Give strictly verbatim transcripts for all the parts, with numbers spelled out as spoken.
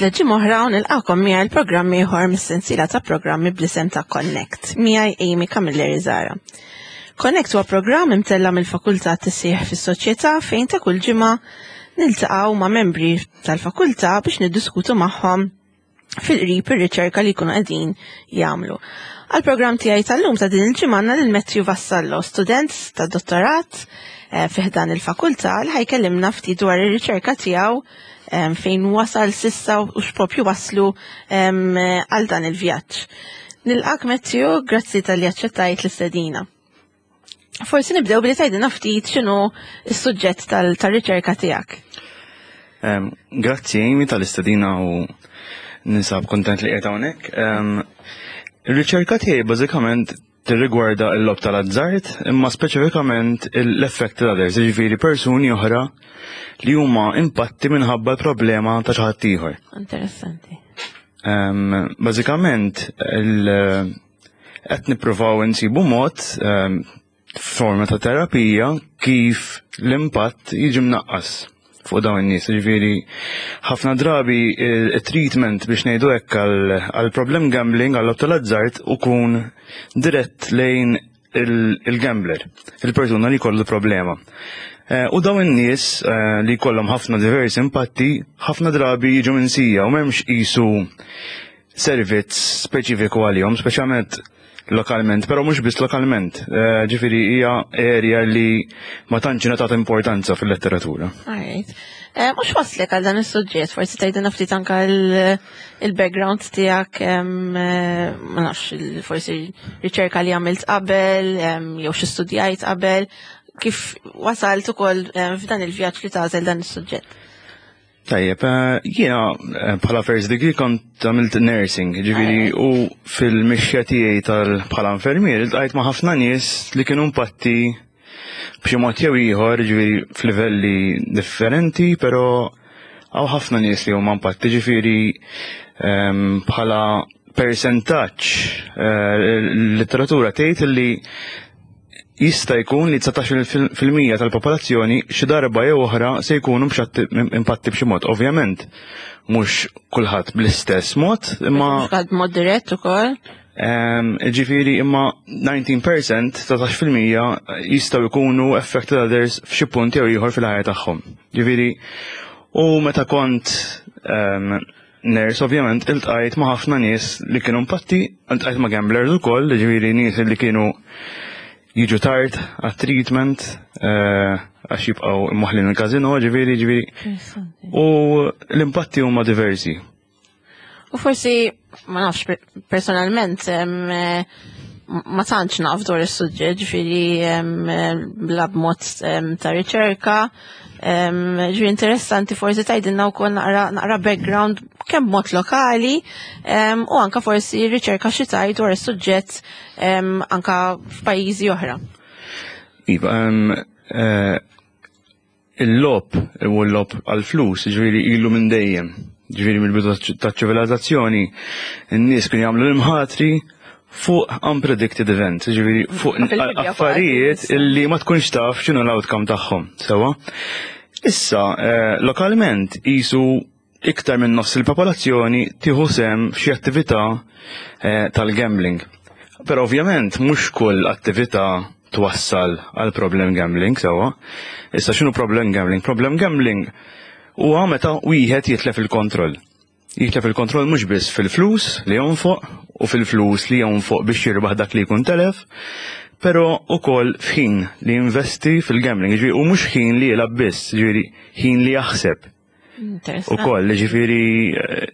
Waslet ġimgħa oħra u nilqakom miegħi l-programm ieħor mis-sensiela ta' programmi bl-isem ta' Connect, miegħi Amy Camilleri Zara. Connect huwa programm imtella mill-Fakultà Tisħiħ fis-Soċjetà fejn ta' kull ġimgħa niltaqgħu ma' membri tal-fakultà biex niddiskutu magħhom fil-qrib ir-riċerka li jkunu qegħdin jagħmlu. Għal-programm tiegħi tal-lum ta' din il-ġimgħa għandna lil Matthew Vassallo, student ta' dottorat eh, fi ħdan il-fakultà li ħa jkellimna ftit dwar ir-riċerka tiegħu em, fejn wasal s'issa u x'propju waslu em, għal dan il-vjaġġ. Nilqak Matthew, grazzi talli aċċettajt l-istedina. Forsi nibdew billi tgħidilna ftit x'inhu s-suġġett tal-riċerka tiegħek. Um, grazzi Amy tal-istedina u ninsab kontent li qiegħed hawnhekk. Um, Ir-riċerka tiegħi bażikament tirrigwarda l-logħob tal-azzard, imma speċifikament l-affected others, jiġifieri persuni oħra li huma impatti minħabba l-problema ta' xi ħadd ieħor. Interessanti. Um, bażikament il- qed nippruvaw insibu mod um, forma ta' terapija kif l-impatt jiġi mnaqqas fuq dawn in-nies. Ġifieri ħafna drabi il-treatment biex ngħidu hekk għal problem gambling għal tal-azzard ikun dirett lejn il-gambler, il-persuna li jkollu problema. Eh, U dawn in-nies eh, li jkollhom ħafna diversi impatti, ħafna drabi jiġu minsija u m'hemmx qisu servizz speċifiku għalihom, speċjalment lokalment, però mhux biss lokalment. Eh, Ġifieri hija area li ma tantx ingħatat importanza fil-letteratura. Alright. Eh, Mhux waslek għal dan is-suġġett, forsi tgħidilna ftit anka il- il-background tiegħek, em, eh, ma nafx, il- forsi riċerka li għamilt qabel, em, jew xi studjajt qabel, kif wasalt ukoll em, f'dan il-vjaġġ li tagħżel dan is-suġġett. Tajjeb, eh, jiena eh, bħala first degree kont għamilt nursing, ġifieri u fil-mixja tiegħi tal bħala infermier iltqajt ma' ħafna nies li kienu impatti b'xi mod jew ieħor, ġifieri f'livelli differenti, però hawn ħafna nies li huma impatti, ġifieri ehm, bħala percentaġġ eh, l-litteratura tgħid li jista' jkun li dsatax fil-mija tal-popolazzjoni xi darba jew oħra se jkunu mxatti impatti b'xi mod. Ovvjament, mhux kulħadd bl-istess mod, imma Mhux kulħadd mod dirett ukoll. Ehm, ġifieri imma dsatax fil-mija, dsatax fil-mija jistgħu jkunu affected others f'xi punt jew ieħor fil-ħajja tagħhom. Ġifieri, u meta kont ehm, nurse, ovvjament, iltqajt ma' ħafna nies li kienu impatti, iltqajt ma' gamblers ukoll, ġifieri nies li kienu jiġu tard għat-treatment, eh, għax jibqgħu imwaħħlin il-kazino, ġifieri, ġifieri. Interessanti. U l-impatti huma diversi. U forsi, ma nafx per- personalment, em, eh, ma tantx naf dwar is-suġġett, ġifieri em, eh, bla b'mod em, ta' riċerka. em, Ġifieri interessanti forsi tgħidilna wkoll naqra naqra background kemm mod lokali em, u anka forsi riċerka xi tgħid dwar is-suġġett em, anka f'pajjiżi oħra. Iva, em, eh, il-logħob u l-logħob għal-flus, ġifieri ilu minn dejjem. Ġifieri mill-bidu ta' ċivilizzazzjoni, n-nies kienu jagħmlu l-imħatri fuq unpredicted events, ġifieri fuq Fil-Bibja affarijiet fuq illi ma tkunx taf x'inhu l-outcome tagħhom, sewa. Issa, eh, lokalment qisu iktar minn nofs il-popolazzjoni tieħu sehem f'xi attività eh, tal-gambling. Però ovvjament mhux kull attività twassal għal problem gambling, sewa. Issa x'inhu problem gambling? Problem gambling huwa meta wieħed jitlef il-kontroll. Jitlef il-kontroll mhux biss fil-flus li jonfoq u fil-flus li jonfoq biex jirbaħ dak li jkun telef, però ukoll f'ħin li jinvesti fil-gambling, ġifieri u mhux ħin li jilgħab biss, ġifieri ħin li jaħseb Interessanti. ukoll, ġifieri eh,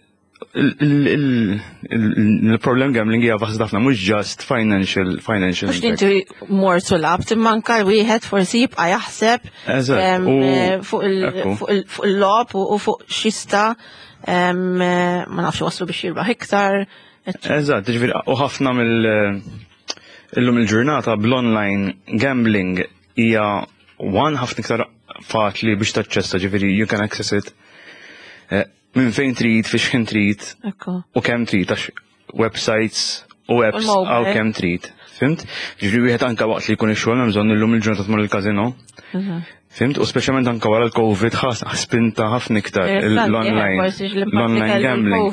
il- il- il- il-problem gambling hija vasta ħafna, mhux just financial financial Mhux impact. inti mort u lgħabt, imma anka wieħed forsi jibqa' jaħseb Eżatt, em, u- eh, fuq il- ekku. fuq il- fuq il-logħob u u fuq x'jista' em, eh, ma nafx waslu biex jirbaħ iktar. Eżatt, ġifieri u ħafna mill illum il-ġurnata bl-online gambling hija one ħafna iktar faċli biex taċċessa, ġifieri you can access it eh, minn fejn trid, fiex ħin trid Ekku. u kemm trid għax websites u apps U l-mobile. għaw kemm trid. Fhimt? Ġifieri wieħed anka waqt li jkun ix-xogħol hemm bżonn illum il-ġurnata tmur il-kazino. Fhimt? U speċjalment anka wara l-Covid ħas spinta ħafna iktar l-online l-online gambling.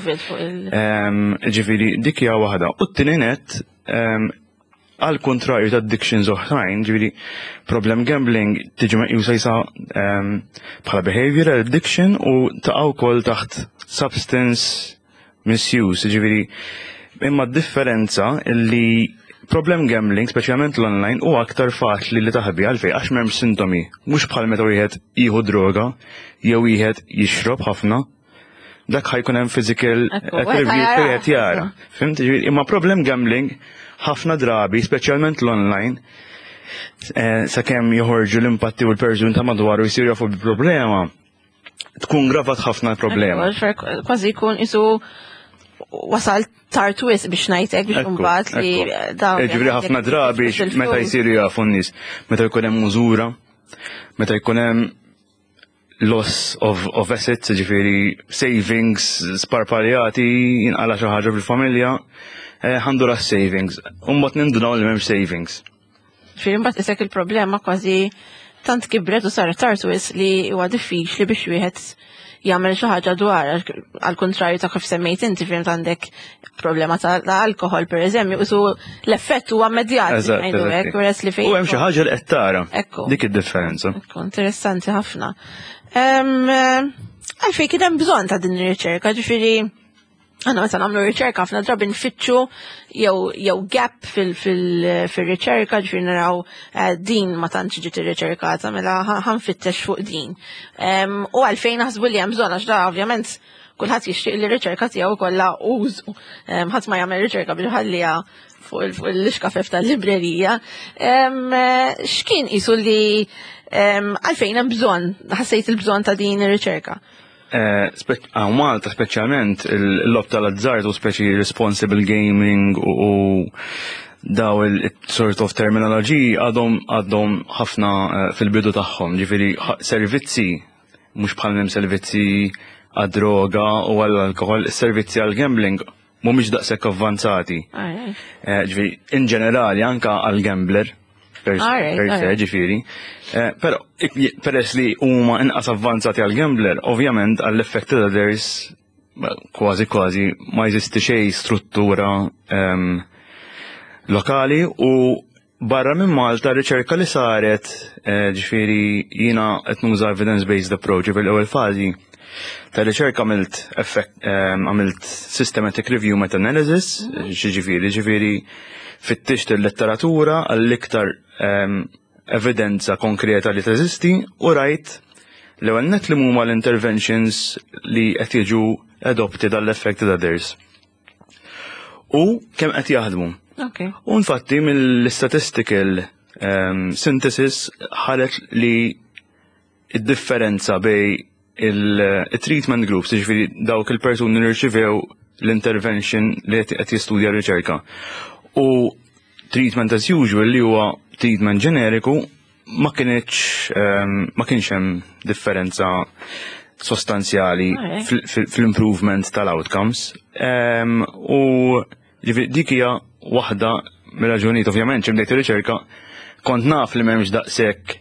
Ġifieri, dik hija waħda. U t-tieni net, għal kontrarju ta' addictions oħrajn, ġifieri problem gambling tiġi meqjusa jisa bħala behavioral addiction u taqa' wkoll taħt substance misuse, ġifieri imma differenza li problem gambling, speċjalment l-online, u aktar faċli li taħbi. Għalfej? Għax m'hemmx sintomi, mhux bħal meta wieħed jieħu droga jew wieħed jixrob ħafna, dak ħa jkun hemm physical attribute wieħed jara. Fhimt? Imma problem gambling ħafna drabi, speċjalment l-online, eh, sakemm joħorġu l-impatti u l-persuni ta' madwaru jsiru jafu bil-problema, tkun gravat ħafna l-problema. Kważi jkun isu wasal tard wisq biex ngħidlek biex mbagħad li dawn. Ġifieri ħafna drabi meta jsiru jafu n-nies, meta jkun hemm mużura, meta jkun hemm loss of, of assets, ġifieri savings sparpaljati, jinqala xi ħaġa fil-familja, eh, ħandu ra savings. Umbagħad nindunaw li m'hemmx savings. Ġifieri mbagħad isek il-problema kważi tant kibret u saret tard wisq li huwa diffiċli biex wieħed jagħmel xi ħaġa dwar, għal kontrarju ta' kif semmejt inti, fhimt, għandek problema ta' alkohol pereżempju, isu l-effett huwa immedjat ngħidu hekk, whereas li fejn. U hemm xi ħaġa li qed tara. Ekku. Dik id-differenza. Ekku, interessanti ħafna. Għalfejn kien hemm bżonn ta' din ir-riċerka? Ġifieri għanna meta nagħmlu riċerka ħafna drabi nfittxu jew jew gap fil-riċerka, ġifieri naraw eh, din ma tantx ġiet irriċerkata, mela ħa nfittex fuq din. U għalfejn naħsbu li hemm bżonn? Għax da ovvjament kulħadd jixtieq li r-riċerka tiegħu kollha użu. Ħadd ma jagħmel riċerka biex ħallija fuq l-iskafef tal-librerija. X'kien qisu li għalfejn hemm bżonn, ħassejt il-bżonn ta' din ir-riċerka? Għaw Malta speċjalment il-logħob tal-azzard u speċi responsible gaming u daw il-sort of terminology għadhom għadhom ħafna eh, fil-bidu tagħhom, ġifieri servizzi mhux bħal hemm servizzi għad-droga u għall-alkohol, servizzi għal-gambling mhumiex daqshekk avvanzati. Eh, ġifieri, in ġenerali anka għal-gambler per se, ġifieri. Eh, però peress li huma inqas avvanzati għal-gambler, ovvjament għall-affected others kważi kważi ma jeżisti xejn struttura ehm, lokali. U barra minn Malta riċerka li saret, eh, ġifieri jiena qed nuża evidence-based approach. Fil-ewwel fażi ta' riċerka għamilt ehm, għamilt systematic review meta-analysis, ġifieri ġifieri fittixt il-letteratura għall-iktar ehm, evidenza konkreta li teżisti u rajt l-ewwel net li huma l-interventions li qed jiġu adopted għall-affected others. U kemm qed jaħdmu. Okay. U infatti mill-statistical um, synthesis ħareġ li id-differenza bejn il-treatment groups, ġifieri dawk il-persuni li rċivew l-intervention li qed jistudja r-riċerka, u treatment as usual li huwa treatment ġeneriku, ma kienx um, ma kienx hemm differenza sostanzjali fl-improvement tal-outcomes. Um, u ġifieri dik hija waħda mir-raġunijiet. Ovvjament bdejt ir-riċerka kont naf li m'hemmx daqshekk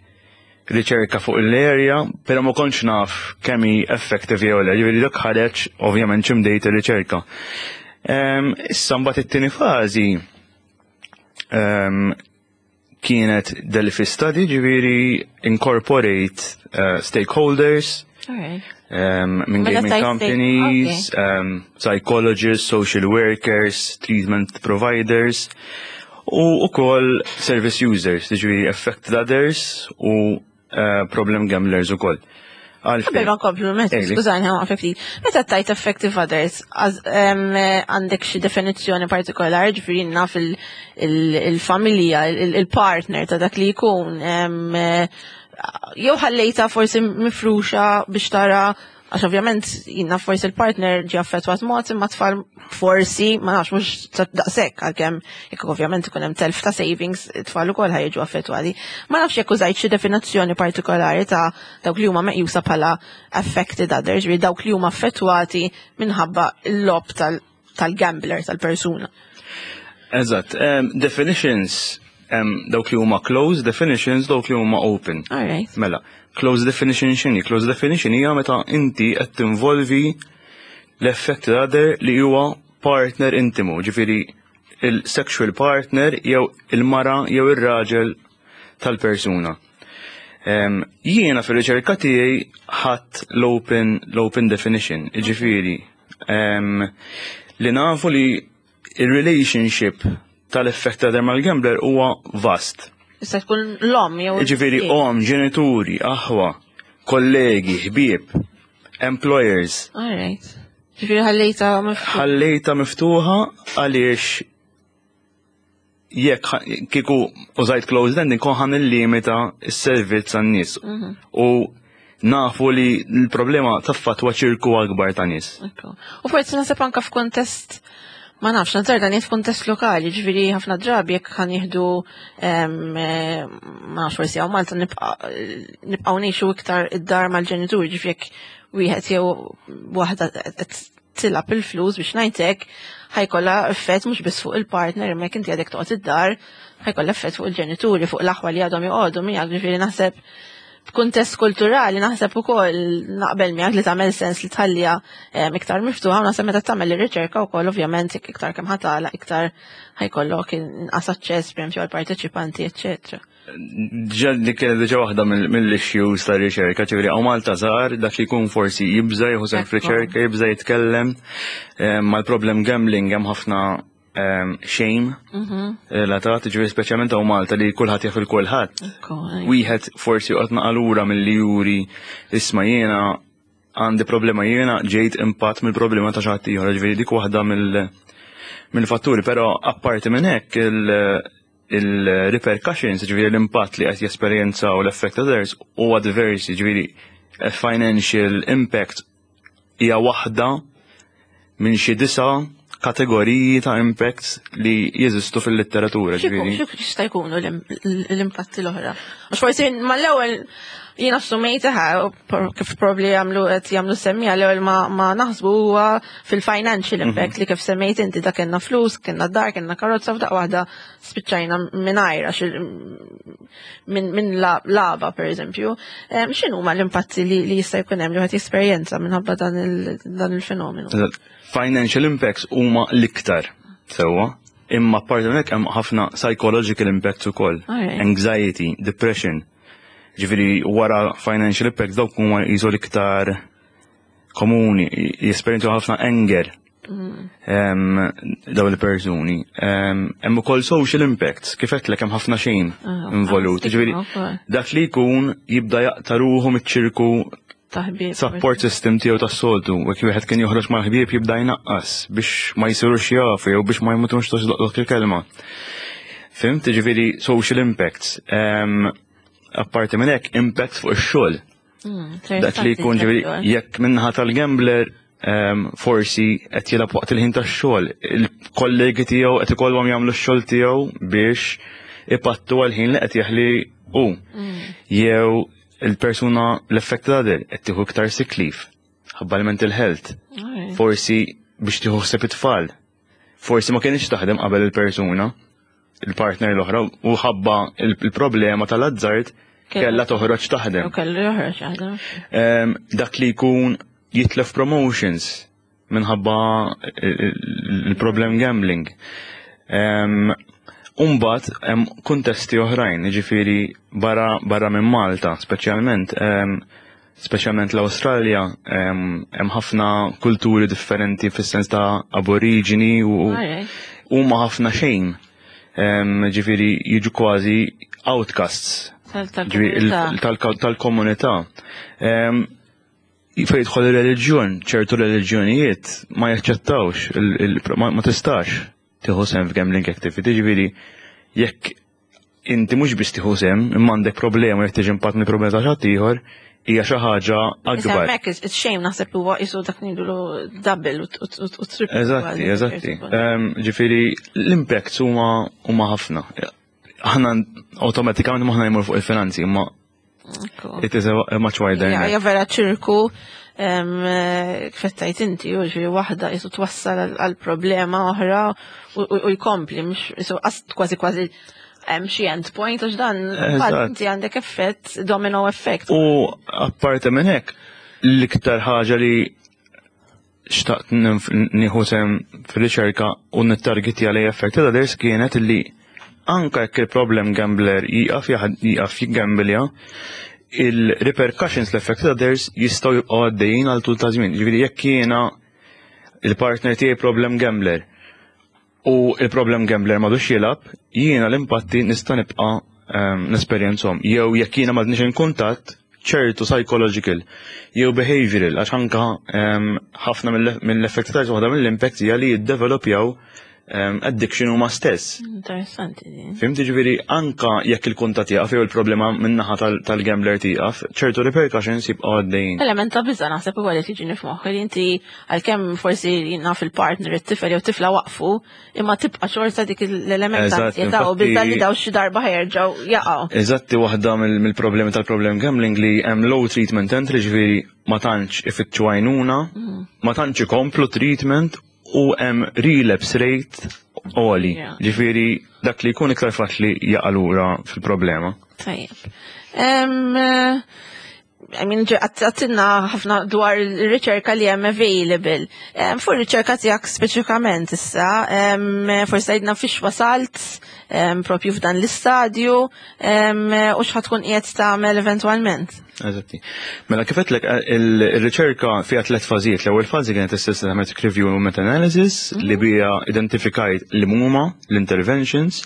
riċerka fuq l-area, pero ma kontx naf kemm hi effective jew le, ġifieri dak ħareġ ovvjament bdejt ir-riċerka. Issa mbagħad it-tieni fażi kienet Delphi study, ġifieri incorporate uh, stakeholders, um, minn gaming companies, okay. um, psychologists, social workers, treatment providers, u ukoll service users, ġifieri affected others u uh, problem gamblers ukoll. Qabel ma nkomplu, skużani, ħa ftit. Meta tajt affected others, għandek xi definizzjoni partikolari, ġifieri naf il-familja, il-partner ta' dak li jkun, jew ħallejta forsi mifruxa biex tara, għax ovvjament jina forsi il-partner ġi affettwat mod imma tfal forsi ma nafx mhux daqshekk, għalkemm jekk ovvjament ikun hemm telf ta' savings, tfal ukoll ħa jiġu affettwati. Ma nafx jekk użajt xi definizzjoni partikolari ta' dawk li huma meqjusa bħala affected others, ġifieri dawk li huma affettwati minħabba l-logħob tal-gambler tal-persuna. Eżatt, um, definitions Hemm dawk li huma closed definitions, dawk li huma open. All right. Mela, closed definition x'inhi? Closed definition hija meta inti qed tinvolvi l-affected other li huwa partner intimu, ġifieri il-sexual partner jew il-mara jew ir-raġel tal-persuna. Em, Jiena fil-riċerka tiegħi ħadt l-open l-open definition, ġifieri em, li nafu li il-relationship tal-affected other mal-gambler huwa vast. Issa tkun l-om jew. Ġifieri om, ġenituri, aħwa, kollegi, ħbieb, employers. All right. Ġifieri ħallejta miftuħa. Ħallejta miftuħa għaliex jekk ħa- kieku użajt closed ending kont ħa nillimita s-servizz għan-nies. U nafu li l-problema taffettwa ċirku akbar ta' nies. Ekku. U forsi naħseb anka f'kuntest, ma nafx, nazzarda ngħid f'kuntest lokali, ġifieri ħafna drabi jekk ħa nieħdu em, eh, ma nafx, forsi hawn Malta nibqa' nibqgħu ngħixu iktar id-dar mal-ġenituri, ġifieri jekk wieħed jew waħda qed tilgħab il-flus, biex ngħidlek, ħa jkollha effett mhux biss fuq il-partner, imma jekk inti għadek toqgħod id-dar, ħa jkollha effett fuq il-ġenituri, fuq l-aħwa li għadhom joqogħdu miegħek, ġifieri naħseb f'kuntest kulturali naħseb ukoll naqbel miegħek li tagħmel sens li tħallija em, iktar miftuħa, u naħseb meta tagħmel ir-riċerka wkoll ovvjament jekk iktar kemm ħa tagħlaq, iktar ħa jkollok inqas aċċess pereżempju għall-parteċipanti, eċċetera. Ġa dik kienet diġà waħda mill- mill-issues ta' riċerka, ġifieri hawn Malta żgħar dak li jkun forsi jibża jieħu sehem Ekku. f'riċerka, jibża jitkellem, em, mal-problem gambling hemm ħafna em, shame relatat, ġifieri speċjalment hawn Malta li kulħadd jaf il-kulħadd. Ekku, ej. Wieħed forsi joqgħod naqalura milli juri, "Isma', jiena għandi problema, jiena ġejt impatt mill-problema ta' xi ħadd ieħor", ġifieri dik waħda mill- mill-fatturi, però apparti minn hekk il- il-repercussions, ġifieri l-impatt li qed jesperjenzaw l-affected others huwa diversi, ġifieri financial impact hija waħda minn xi disa kategoriji ta' impacts li jeżistu fil-litteratura, ġifieri. X'ikun- X'jista' jkunu l- l-impatti l-oħra? Għax forsi mal-ewwel jien assumejt kif probably jagħmlu qed jagħmlu semmija, l-ewwel ma, ma naħsbu huwa fil-financial impact li kif semmejt inti, da kellna flus, kellna dar, kellna karozza, f'daqqa waħda spiċċajna mingħajr għax il- minn min la- laba per eżempju. Em, X'inhuma l-impatti li, li jista' jkun hemm li wieħed jesperjenza minħabba dan il- dan il-fenomenu? Financial impacts huma l-iktar sewwa, imma apparti minn hekk hemm ħafna psychological impacts ukoll. Alright. Anxiety, depression. Ġifieri wara financial impacts dawk huma jiżu l-iktar komuni, jesperjenzaw ħafna anger em, dawn il-persuni. Em, Hemm ukoll social impacts, kif għedtlek hemm ħafna shame Ah, involut. stigma Ġifieri wkoll. dak li jkun jibda jaqta' ruħu miċ-ċirku Taħbib. support system tiegħu tas-soltu, u jekk wieħed kien joħroġ mal-ħbieb jibda jnaqqas biex ma jsirux jafu jew biex ma jmutux dak il-kelma. Fhimt, ġifieri social impacts. Em, Apparti minn hekk, impacts fuq ix-xogħol. Mm, Dak li jkun, ġifieri jekk minnaħa tal-gambler em, forsi qed jilgħab waqt il-ħin tax-xogħol, il-kollegi tiegħu qed ikollhom jagħmlu x-xogħol tiegħu biex ipattu għal-ħin li qed jaħli hu. Jew il-persuna l-affected other qed tieħu iktar sick leave ħabba l-mental health. Forsi biex tieħu ħsieb it-tfal. Forsi ma kienx taħdem qabel il-persuna, il-partner l-oħra, u ħabba il-problema tal-azzard kella toħroġ taħdem. U kellu joħroġ jaħdem. Em, dak li jkun jitlef promotions minħabba il-problem gambling. Um, Umbagħad, hemm kuntesti oħrajn, ġifieri barra, barra minn Malta, speċjalment, em, speċjalment l-Awstralja, em, hemm ħafna kulturi differenti fis-sens ta' aborigini u Alright. huma ħafna xejn. Em, Ġifieri jiġu kważi outcasts ġifieri il- Tal-komunità. tal- tal-komunità. Em, Fejn jidħol il-reliġjon, ċertu reliġjonijiet ma jaċċettawx, il- il- ma ma tistax tieħu sehem f'gambling activity, ġifieri jekk inti mhux biss tieħu sehem, imma għandek problema jekk tiġi impatt mill problema ta' xi ieħor, hija xi ħaġa Issa akbar. hemmhekk is shame naħseb huwa qisu dak ngħidulu double u u triple. Eżatti, kważi, eżatti. ċertu punt. Em, Ġifieri l-impacts huma huma ħafna. Aħna awtomatikament moħħna jmur fuq il-finanzi, imma Ekku. it is a a much wider Ja, net. ja, vera ċirku em, eh, kif għedt inti, u ġifieri waħda jisu twassal għal- għal problema oħra u- u u jkompli, mhux jisu qas kważi kważi hemm xi end point għax dan Eżatt. inti għandek effett, domino effect. U apparti minn hekk, l-iktar ħaġa li xtaqt ninf- nieħu sehem fil-riċerka u nittargetja li affected others kienet li anka jekk il-problem gambler jieqaf jaħad- jieqaf jiggambilja, il-repercussions l-affected others jistgħu jibqgħu għaddejjin għal tul ta' żmien. Ġifieri jekk jiena il-partner tiegħi problem gambler u il-problem gambler m'għadux jilgħab, jiena l-impatti nista' nibqa' um, nesperjenzhom. Jew jekk jiena m'għadniex in kuntatt, ċertu psychological jew behavioral, għax anka um, ħafna mill- mill-effetti ta' waħda mill-impact hija li jiddevelopjaw um, addiction huma stess. Interessanti din. Fhimt, ġifieri anka jekk il-kuntatt jaqaf jew il-problema min-naħa tal- tal-gambler tieqaf, ċertu repercussions jibqgħu għaddejjin. Element ta' biża naħseb ukoll li tiġini f'moħħi li inti għalkemm forsi naf il-partner, it-tifel jew tifla waqfu, imma tibqa' xorta dik l-element ta' Eżatt, ansjetà u infatti- biża li daw xi darba ħa jerġgħu jaqgħu. Eżatti, waħda mill- mill-problemi tal-problem gambling li hemm low treatment entry, ġifieri ma tantx ifittxu għajnuna, ma tantx ikomplu treatment u hemm relapse rate għoli. Yeah. Ġifieri dak li jkun iktar faċli jaqa' lura fil-problema. Tajjeb. Em, eh, I mean, ġe- għedtilna ħafna dwar il-riċerka li hemm available. Em, Fuq il-riċerka tiegħek speċifikament issa, em, forsi għidna fiex wasalt, em, propju f'dan l-istadju, em, u x'ħa tkun qiegħed tagħmel eventwalment. Eżatti. Mela, kif għedtlek, il-riċerka fiha tliet fażijiet. L-ewwel fażi kienet is-systematic review u meta-analysis li bija identifikajt li huma l-interventions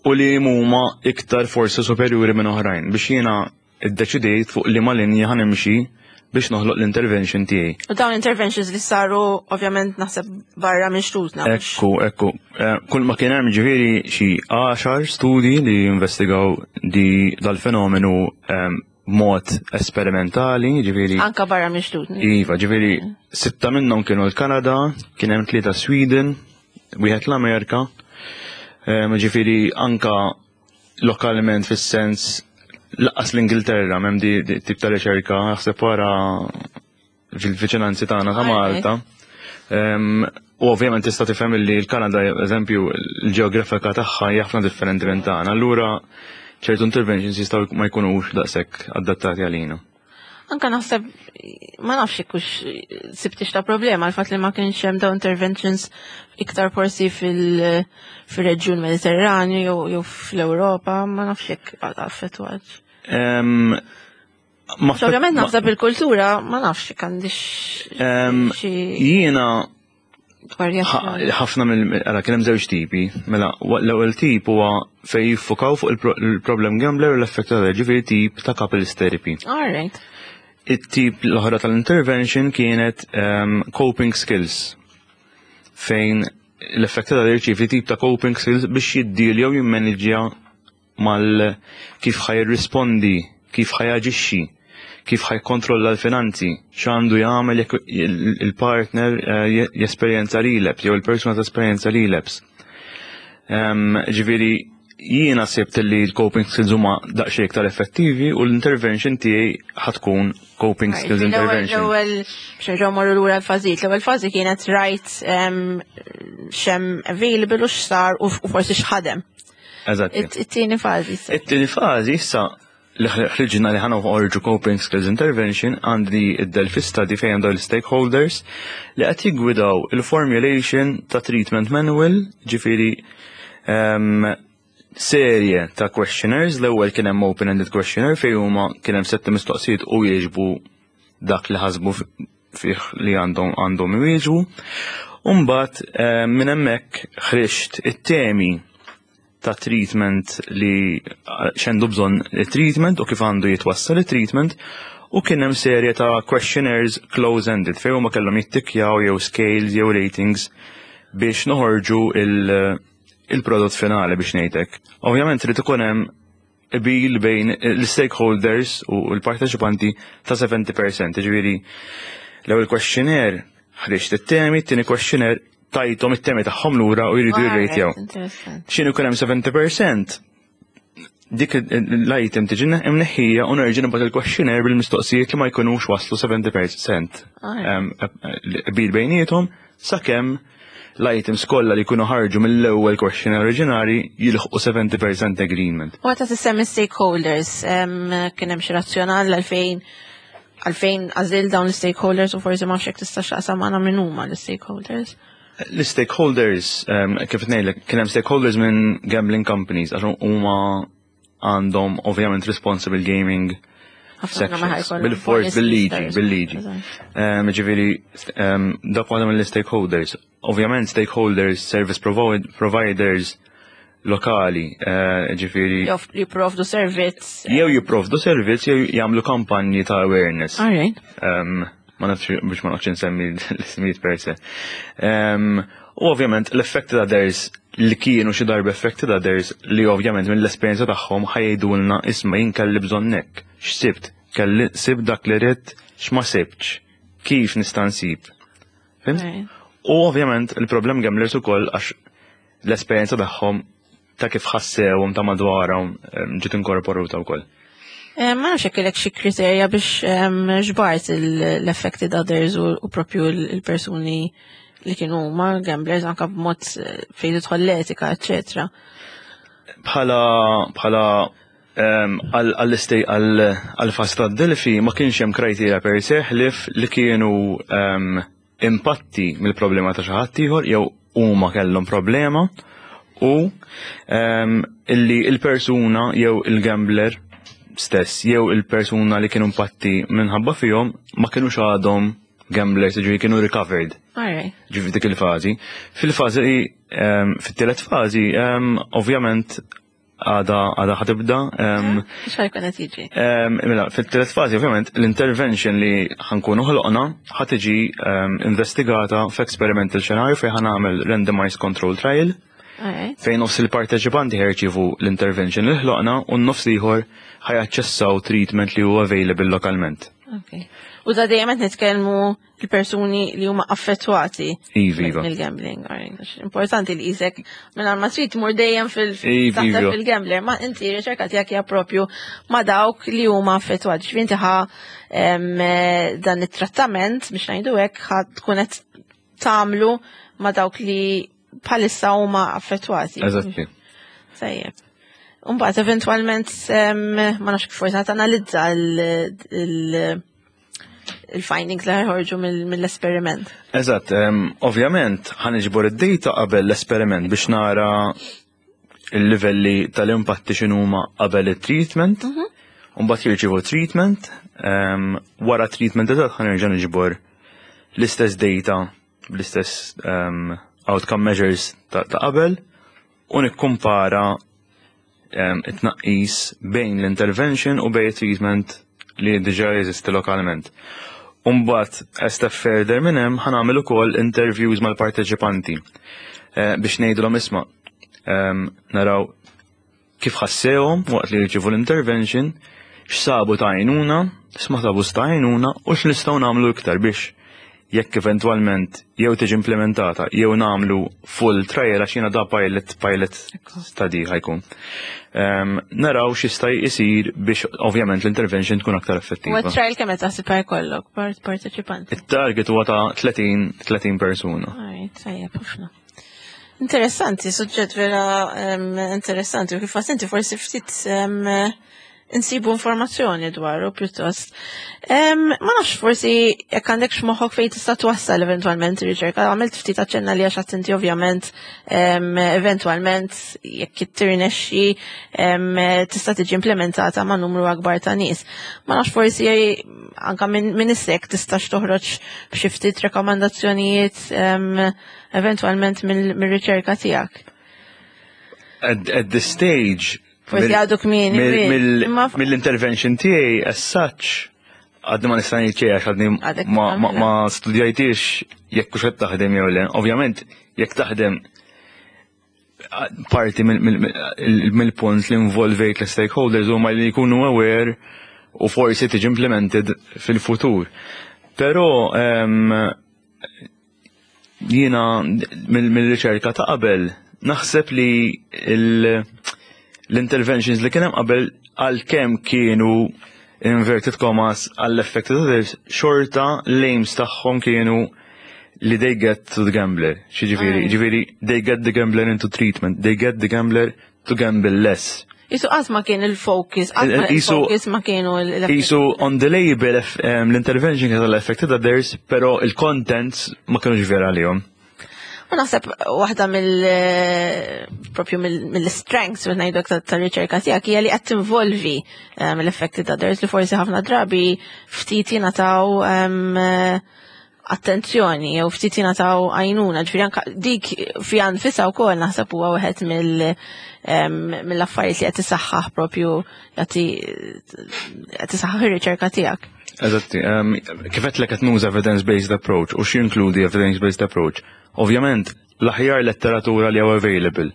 u li huma iktar forsi superjuri minn oħrajn biex jiena iddeċidejt fuq li ma linja ħa nimxi biex noħloq l-intervention tiegħi. U dawn interventions li saru ovvjament naħseb barra minn xtutna. Ekku, ekku. Eh, Kull ma kien hemm ġifieri xi għaxar studji li investigaw di dal-fenomenu em, mod esperimentali, ġifieri. Anka barra minn xtutna. Iva, ġifieri sitta minnhom kienu l-Kanada, kien hemm tlieta Sweden, wieħed l-Amerika. Em, Ġifieri anka lokalment fis-sens lanqas l-Ingilterra m'hemm di, di tip ta' riċerka, naħseb wara fil-viċinanzi tagħna ta' Alright. Malta. Em, U ovvjament tista' tifhem li l-Kanada, eżempju, l-ġeografika tagħha hija ħafna differenti minn tagħna. Allura ċertu interventions jistgħu ma jkunux daqshekk adattati għalina. Anka naħseb, ma nafx hux sibtix ta' problema l-fatt li ma kienx hemm dawn interventions iktar forsi fil- fil-reġjun Mediterranju jew jew fl-Ewropa, ma nafx jekk affettwat. Em, ma Ovvjament ma- naħseb il-kultura, ma nafx jekk għandix Em, xi Jiena varjazzjoni. ħafna mill għala kien hemm żewġ tipi. Mela, wa- l-ewwel tip huwa fejn jiffukaw fuq il-pro- il-problem gambler u l-effett ta' ġifieri tip ta' couples therapy. All right. It-tip l-oħra tal-intervention kienet um, coping skills, fejn l-effett ta' jirċievi tip ta' coping skills biex jiddilja u jimmanġja mal kif ħa jirrispondi, kif ħa jaġixxi, kif ħa jkontrolla l-finanzi, x'għandu jagħmel jekk il- il-partner eh, jesperjenza relapse jew il-persuna tesperjenza relapse. Um, ġifieri jiena sibt li l-coping skills huma daqsxejn iktar effettivi u l-intervention tiegħi ħa tkun coping skills L-ewwel intervention. l-ewwel biex nerġgħu morru lura l-fażijiet. L-ewwel fażi kienet rajt em, x'hemm available u x'sar u u forsi x'ħadem. Eżatti. It- It-tieni fażi issa. It-tieni fażi issa li ħriġna li ħa noħorġu coping skills intervention, għandi id-Delphi study fejn dawn l-stakeholders li qed jiggwidaw il-formulation ta' treatment manual, ġifieri um, serje ta' questionnaires. L-ewwel kien hemm open-ended questionnaire fejn huma kien hemm sette mistoqsijiet u jieġbu dak li ħasbu fih li għandhom għandhom iwieġbu. Umbagħad eh, minn hemmhekk ħriġt it-temi ta' treatment li x'għandu bżonn treatment u kif għandu jitwassal il-treatment u kien hemm serje ta' questionnaires close-ended fejn huma kellhom jittikjaw jew scales jew ratings biex noħorġu il- il-prodott finali, biex ngħidlek. Ovvjament trid ikun hemm qbil bejn l-stakeholders u l-parteċipanti ta' sebgħin fil-mija, ġifieri l-ewwel questionnaire ħriġt it-temi, it-tieni questionnaire tajthom it-temi tagħhom lura u jridu jirrejtjaw. Interessanti. X'inhu jkun hemm sebgħin fil-mija, dik l-item tiġi imneħħija u nerġa' nibgħat il-questionnaire bil-mistoqsijiet li ma jkunux waslu sebgħin fil-mija Alright. qbil bejniethom sakemm l-items kollha li jkunu ħarġu mill-ewwel questionnaire oriġinali jilħqu seventy percent agreement. U għata tissemmi stakeholders, kien hemm xi razzjonal għalfejn għalfejn għażilt dawn l-stakeholders u forsi ma nafx tista' x'taqsam magħna minn huma l-stakeholders? L-stakeholders, kif ngħidlek, kien hemm stakeholders minn gambling companies, għax huma għandhom ovvjament responsible gaming sections. Bil-fors, bil-liġi, bil-liġi. Ġifieri, dak waħda mill-stakeholders. Ovvjament stakeholders, service providers lokali, eh, ġifieri. Jew jipprovdu servizz. Jew jipprovdu servizz, jew jagħmlu kampanji ta' awareness. Ma nafx biex ma nafx nsemmi l-ismijiet per se. U ovvjament l-affected others li kienu xi darba affected others, li ovvjament mill-esperjenza tagħhom ħa jgħidulna, "Isma', jien kelli bżonnek. X'sibt? Kelli sib dak li ridt, x'ma sibtx? Kif nista' nsib?" Fhimt? U ovvjament il-problem gamblers ukoll, għax l-esperjenza tagħhom ta' kif ħassewhom ta' madwarhom ġiet inkorporata wkoll. Eh, ma nafx jekk kellek xi kriterja biex ġbart l-affected others u propju l-persuni li kienu huma gamblers, anka b'mod eh, fejn tidħol l-etika, eċetera. Bħala bħala għall-istej għall-fażi ta' Delphi ma kienx hemm criteria per se ħlief li kienu impatti mill-problema ta' xi ħadd ieħor jew huma kellhom problema u illi il-persuna jew il-gambler stess jew il-persuna li kienu impatti minħabba fihom ma kienux għadhom gamblers, ġifieri kienu recovered. Ġifieri dik il-fażi. Fil-fażi, fit-tielet fażi, ovvjament għada għada ħa tibda. X'ħa jkun qed jiġi? Mela, fit-tielet fażi ovvjament l-intervention li ħa nkunu ħloqna ħa tiġi investigata f'experimental scenario fejn ħa nagħmel randomized control trial fejn nofs il-parteċipanti ħa jirċievu l-intervention li ħloqna u n-nofs ieħor ħa jaċċessaw treatment li huwa available lokalment. Okay. U da dejjem qed nitkellmu il-persuni li huma affettwati Iva, iva. mill-gambling. Importanti li isek minn ma trid tmur dejjem fil- Iva, taħseb iva. fil-gambler, ma inti riċerka tiegħek hija propju ma dawk li huma affettwati. Ġifieri inti ħa em, eh, dan it-trattament, biex ngħidu hekk, ħa tkun qed tagħmlu ma dawk li bħalissa huma affettwati. Eżatti. Tajjeb. Umbagħad eventwalment em, ma nafx kif forsi tanalizza il- il- il-findings li ħorġu mill- mill-esperiment. Eżatt, em, ovvjament ħa niġbor id-data qabel l-esperiment biex nara il-livelli tal-impatti x'inhuma qabel il-treatment. Mbagħad jirċievu treatment, em, wara treatment eżatt ħa nerġa' niġbor l-istess data, l-istess em, outcome measures ta' ta' qabel u nikkumpara em, it-tnaqqis bejn l-intervention u bejn treatment li diġà jeżisti lokalment. Umbagħad, a step further minn hemm, ħa nagħmel ukoll interviews mal-parteċipanti eh, biex ngħidulhom, isma', em, naraw kif ħassewhom waqt li jirċievu l-intervention, x'sabu ta' għajnuna, x'ma sabu ta' għajnuna u x'nistgħu nagħmlu iktar biex jekk eventwalment jew tiġi implementata jew nagħmlu full trial, għax jiena da pilot pilot study ħa jkun. Um, naraw x'jista' jsir biex ovvjament l-intervention tkun aktar U effettiva. trial kemm qed taħseb jkollok part parteċipanti? Il-target huwa ta' tletin tletin persuna. Alright, tajjeb ħafna. Interessanti, suġġett vera em, interessanti u kif inti forsi ftit em, insibu informazzjoni dwaru pjuttost. Em, ma nafx forsi jekk għandek x'moħħok fejn tista' twassal eventwalment ir-riċerka, għamilt ftit aċċenna li għax inti ovvjament em, eventwalment jekk tirnexxi em, tista' tiġi implementata ma' numru akbar ta' nies. Ma nafx forsi anka minn min issek tistax toħroġ b'xi ftit rekomandazzjonijiet em, eventwalment mill-riċerka tiegħek. At, at this stage, Forsi mill- għadu kmieni, mill- kmieni. mill- Imma- Mill-intervention tiegħi as such, għadni ma nista' ngħid xejn għax għadni Għadek ma, ma, tagħmilha. ma studjajtix jekk hux qed taħdem jew le. Ovvjament, jekk taħdem, parti mill- mill- mill- mill-punt li involvejt l-stakeholders huma li jkunu aware u forsi tiġi implemented fil-futur. Però em, jiena mill- mill-riċerka ta' qabel naħseb li il- l-interventions li kien hemm qabel, għalkemm kienu inverted commas għall-affected others, xorta l-aims tagħhom kienu li they get to the gambler. Xiġifieri, ġifieri, they get the gambler into treatment, they get the gambler to gamble less. Qisu qatt ma kien il-focus, qatt ma il-focus ma kienu il- Qisu on the label l-intervention kienet l-affected others, pero il-contents ma kienux vera għalihom. U naħseb waħda mill propju mill-strengths mill ngħidu tar-riċerka tiegħek hija li qed tinvolvi l-affected others li forsi ħafna drabi ftit jingħataw attenzjoni jew ftit jingħataw għajnuna, ġifieri anke dik fiha nfisha wkoll naħseb huwa wieħed mill-affarijiet li qed isaħħaħ propju jagħti qed isaħħaħ ir-riċerka tiegħek. Eżatti, kif għedtlek qed nuża evidence-based approach u x'jinkludi evidence-based approach? Ovvjament, l-aħjar letteratura li hawn available,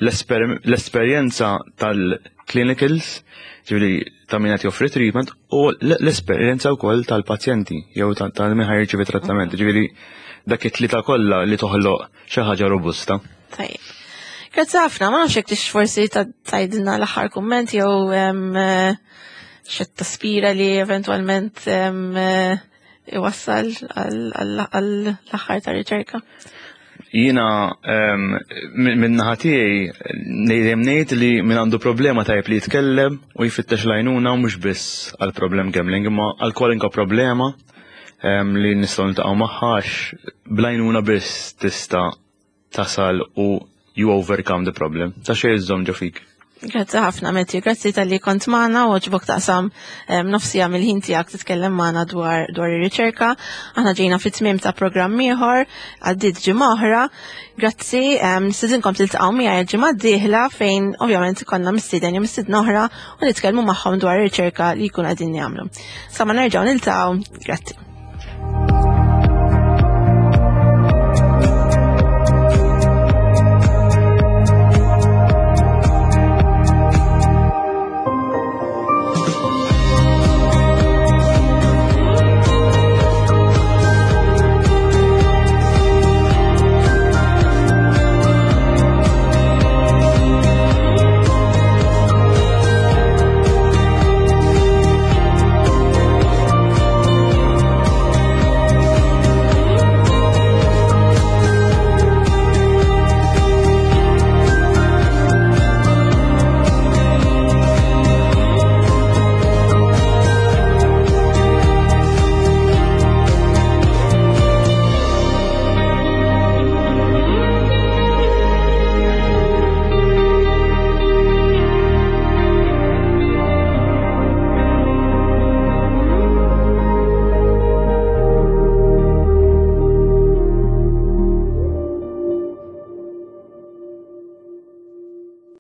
l-esperjenza tal-clinicals, ġifieri ta' min qed joffri treatment, u l-esperjenza wkoll tal-pazjenti jew tal min ħa jirċievi trattament, ġifieri dak it-tlieta kollha li toħloq xi ħaġa robusta. Tajjeb. Grazzi ħafna, ma nafx jekk tix forsi tgħidilna l-aħħar kumment jew xi taspira li eventwalment iwassal għall-aħħar ta' riċerka. Jiena minn naħa tiegħi dejjem ngħid li min għandu problema tajb li jitkellem u jfittex l-għajnuna u mhux biss għal problem gambling imma għal kwalunkwe problema li nistgħu niltaqgħu magħha għax bl-għajnuna biss tista' tasal u you overcome the problem. Ta' xejn iżżomm ġo fik. Grazzi ħafna, Matthew. Grazzi talli kont magħna u għoġbok taqsam nofs siegħa mill-ħin tiegħek titkellem magħna dwar dwar ir-riċerka. Aħna ġejna fit-tmiem ta' programm ieħor, għaddiet ġimgħa oħra. Grazzi, nistedinkom tiltaqgħu miegħi l-ġimgħa d-dieħla fejn ovvjament ikollna mistieden jew mistiedna oħra u nitkellmu magħhom dwar ir-riċerka li jkunu qegħdin jagħmlu. Sa ma nerġgħu niltaqgħu, grazzi.